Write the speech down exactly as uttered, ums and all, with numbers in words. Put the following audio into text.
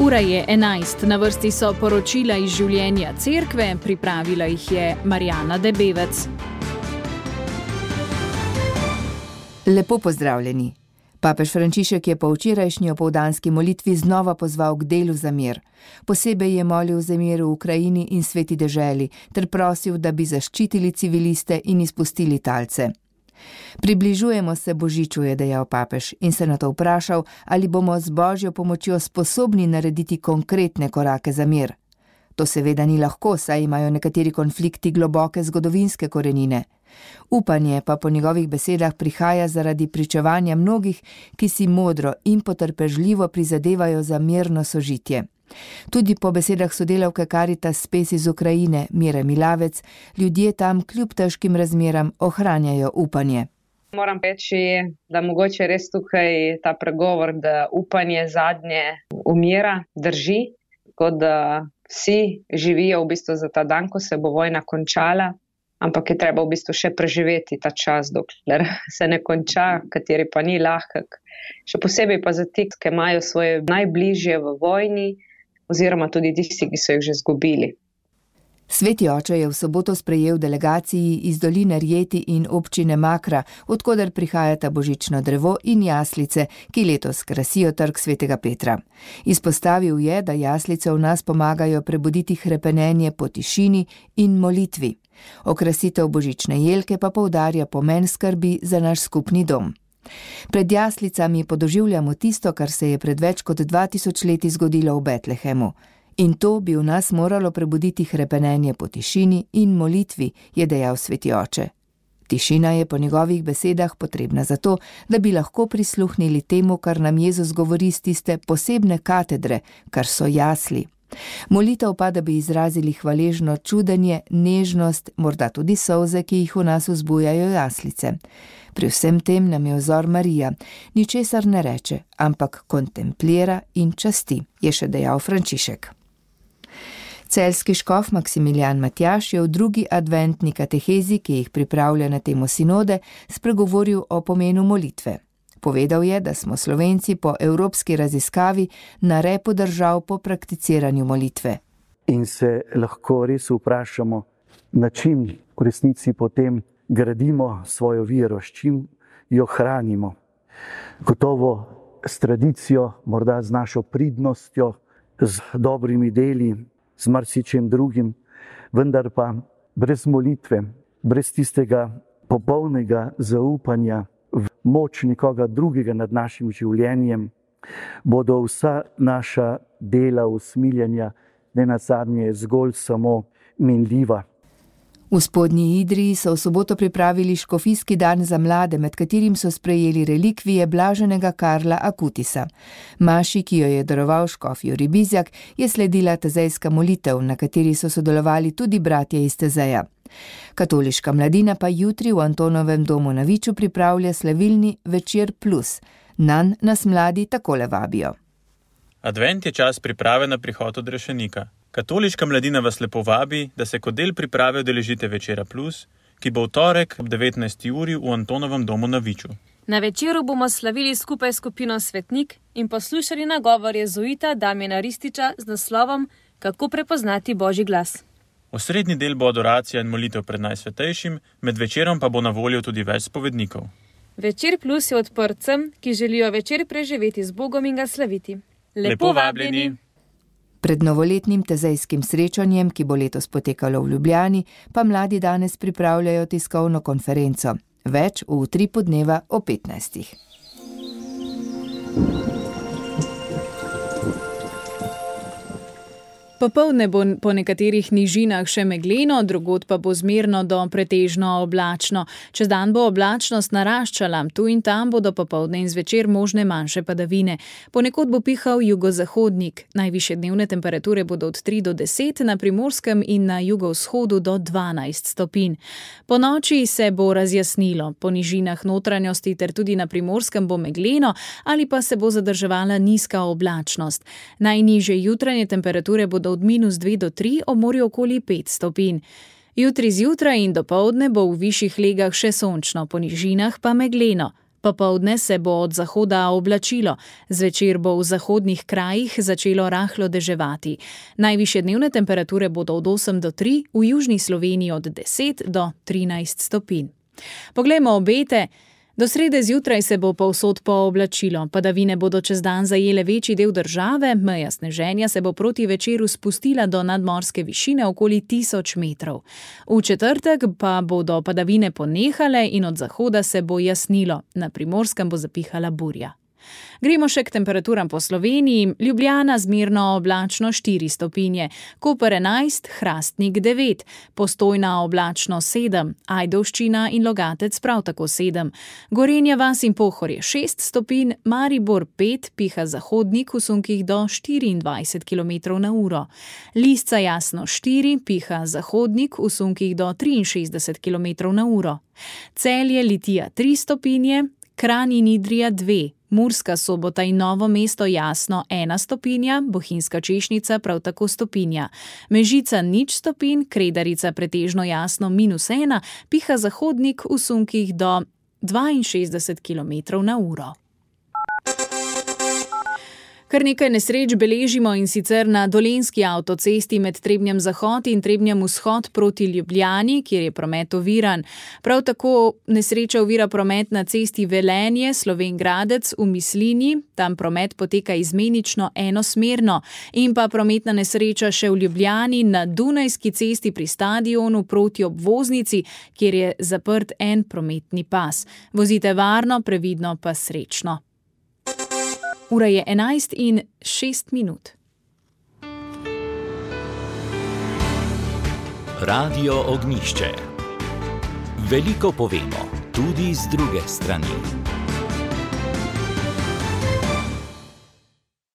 Ura je enajst, na vrsti so poročila iz življenja cerkve, pripravila jih je Marjana Debevec. Lepo pozdravljeni. Papež Frančišek je po včerajšnji opoldanski molitvi znova pozval k delu za mir. Posebej je molil za mir v Ukrajini in sveti deželi, ter prosil, da bi zaščitili civiliste in izpustili talce. Približujemo se Božiču, je dejal papež, in se nato vprašal, ali bomo z Božjo pomočjo sposobni narediti konkretne korake za mir. To seveda ni lahko, saj imajo nekateri konflikti globoke zgodovinske korenine. Upanje pa po njegovih besedah prihaja zaradi pričevanja mnogih, ki si modro in potrpežljivo prizadevajo za mirno sožitje. Tudi po besedah sodelavke Caritas Spes iz Ukrajine, Mire Milavec, ljudje tam kljub težkim razmeram ohranjajo upanje. Moram reči, da mogoče res tukaj ta pregovor, da upanje zadnje umira, drži, tako da vsi živijo v bistvu za ta dan, ko se bo vojna končala, ampak je treba v bistvu še preživeti ta čas, dokler se ne konča, kateri pa ni lahek. Še posebej pa za ti, ki imajo svoje najbližje v vojni, oziroma tudi tisti, ki so jih že izgubili. Sveti oče je v soboto sprejel delegaciji iz doline Rjeti in občine Makra, odkoder prihajata božično drevo in jaslice, ki letos krasijo trg svetega Petra. Izpostavil je, da jaslice v nas pomagajo prebuditi hrepenenje po tišini in molitvi. Okrasitev božične jelke pa poudarja pomen skrbi za naš skupni dom. Pred jaslicami podoživljamo tisto, kar se je pred več kot dva tisoč leti zgodilo v Betlehemu. In to bi v nas moralo prebuditi hrepenenje po tišini in molitvi, je dejal sveti oče. Tišina je po njegovih besedah potrebna zato, da bi lahko prisluhnili temu, kar nam Jezus govori z tiste posebne katedre, kar so jasli. Molitev pa, da bi izrazili hvaležno čudenje, nežnost, morda tudi solze, ki jih v nas vzbujajo jaslice. Pri vsem tem nam je vzor Marija, ničesar ne reče, ampak kontemplira in časti, je še dejal Frančišek. Celjski škof Maksimilijan Matjaž je v drugi adventni katehezi, ki jih pripravlja na temo sinode, spregovoril o pomenu molitve. Povedal je, da smo Slovenci po evropski raziskavi na repu držav po prakticiranju molitve. In se lahko res vprašamo, na čim v resnici potem gradimo svojo vero, s čim jo hranimo. Gotovo s tradicijo, morda z našo pridnostjo, z dobrimi deli, z marsičem drugim, vendar pa brez molitve, brez tistega popolnega zaupanja v moč nekoga drugega nad našim življenjem, bodo vsa naša dela usmiljanja nenazadnje zgolj samo minljiva. V Spodnji Idriji so v soboto pripravili škofijski dan za mlade, med katerim so sprejeli relikvije blaženega Karla Akutisa. Maši, ki jo je daroval škof Jurij Bizjak, je sledila tezejska molitev, na kateri so sodelovali tudi bratje iz Tezeja. Katoliška mladina pa jutri v Antonovem domu na Viču pripravlja slavilni Večer plus. Nanj nas mladi takole vabijo. Advent je čas priprave na prihod odrešenika. Katoliška mladina vas lepo vabi, da se kot del priprave udeležite Večera plus, ki bo v torek ob devetnajsti uri v Antonovem domu na Viču. Na večeru bomo slavili skupaj s skupino Svetnik in poslušali nagovor jezuita Damjana Rističa z naslovom Kako prepoznati Božji glas. Osrednji del bo adoracija in molitev pred Najsvetejšim, med večerom pa bo na voljo tudi več spovednikov. Večer plus je odprt vsem, ki želijo večer preživeti z Bogom in ga slaviti. Lepo, Lepo vabljeni! Pred novoletnim tezejskim srečanjem, ki bo letos potekalo v Ljubljani, pa mladi danes pripravljajo tiskovno konferenco. Več v utripu dneva o petnajstih. Popoldne bo po nekaterih nižinah še megleno, drugod pa bo zmerno do pretežno oblačno. Čez dan bo oblačnost naraščala, tu in tam bodo popoldne in zvečer možne manjše padavine. Ponekod bo pihal jugozahodnik. Najvišje dnevne temperature bodo od tri do deset, na Primorskem in na jugovzhodu do dvanajst stopinj. Po noči se bo razjasnilo. Po nižinah notranjosti ter tudi na Primorskem bo megleno ali pa se bo zadrževala nizka oblačnost. Najnižje jutranje temperature bodo od minus dve do tri, ob morju okoli pet stopinj. Jutri zjutraj in dopoldne bo v višjih legah še sončno, po nižinah pa megleno. Popoldne se bo od zahoda oblačilo, zvečer bo v zahodnih krajih začelo rahlo deževati. Najvišje dnevne temperature bodo od osem do tri, v južni Sloveniji od deset do trinajst stopinj. Poglejmo obete. Do srede zjutraj se bo povsod pooblačilo, padavine bodo čez dan zajele večji del države, meja sneženja se bo proti večeru spustila do nadmorske višine okoli tisoč metrov. V četrtek pa bodo padavine ponehale in od zahoda se bo jasnilo, na Primorskem bo zapihala burja. Gremo še k temperaturam po Sloveniji. Ljubljana zmerno oblačno štiri stopinje, Koper enajst, Hrastnik devet, Postojna oblačno sedem, Ajdovščina in Logatec prav tako sedem, Gorenja vas in Pohorje šest stopinj, Maribor pet, piha zahodnik v sunkih do štiriindvajset kilometrov na uro, Lisca jasno štiri, piha zahodnik v sunkih do triinšestdeset kilometrov na uro, Celje Litija tri stopinje, Kranj in Idrija dve, Murska Sobota in Novo mesto jasno ena stopinja, Bohinjska Češnica prav tako stopinja, Mežica nič stopinj, Kredarica pretežno jasno minus ena, piha zahodnik v sunkih do dvainšestdeset kilometrov na uro. Kar nekaj nesreč beležimo, in sicer na Dolenjski avtocesti med Trebnjem zahod in Trebnjem vzhod proti Ljubljani, kjer je promet oviran. Prav tako nesreča ovira promet na cesti Velenje, Slovenj Gradec v Mislinji, tam promet poteka izmenično enosmerno, in pa prometna nesreča še v Ljubljani na Dunajski cesti pri stadionu proti obvoznici, kjer je zaprt en prometni pas. Vozite varno, previdno pa srečno. Ura je enajst in šest minut. Radio Ognjišče. Veliko povemo, tudi z druge strani.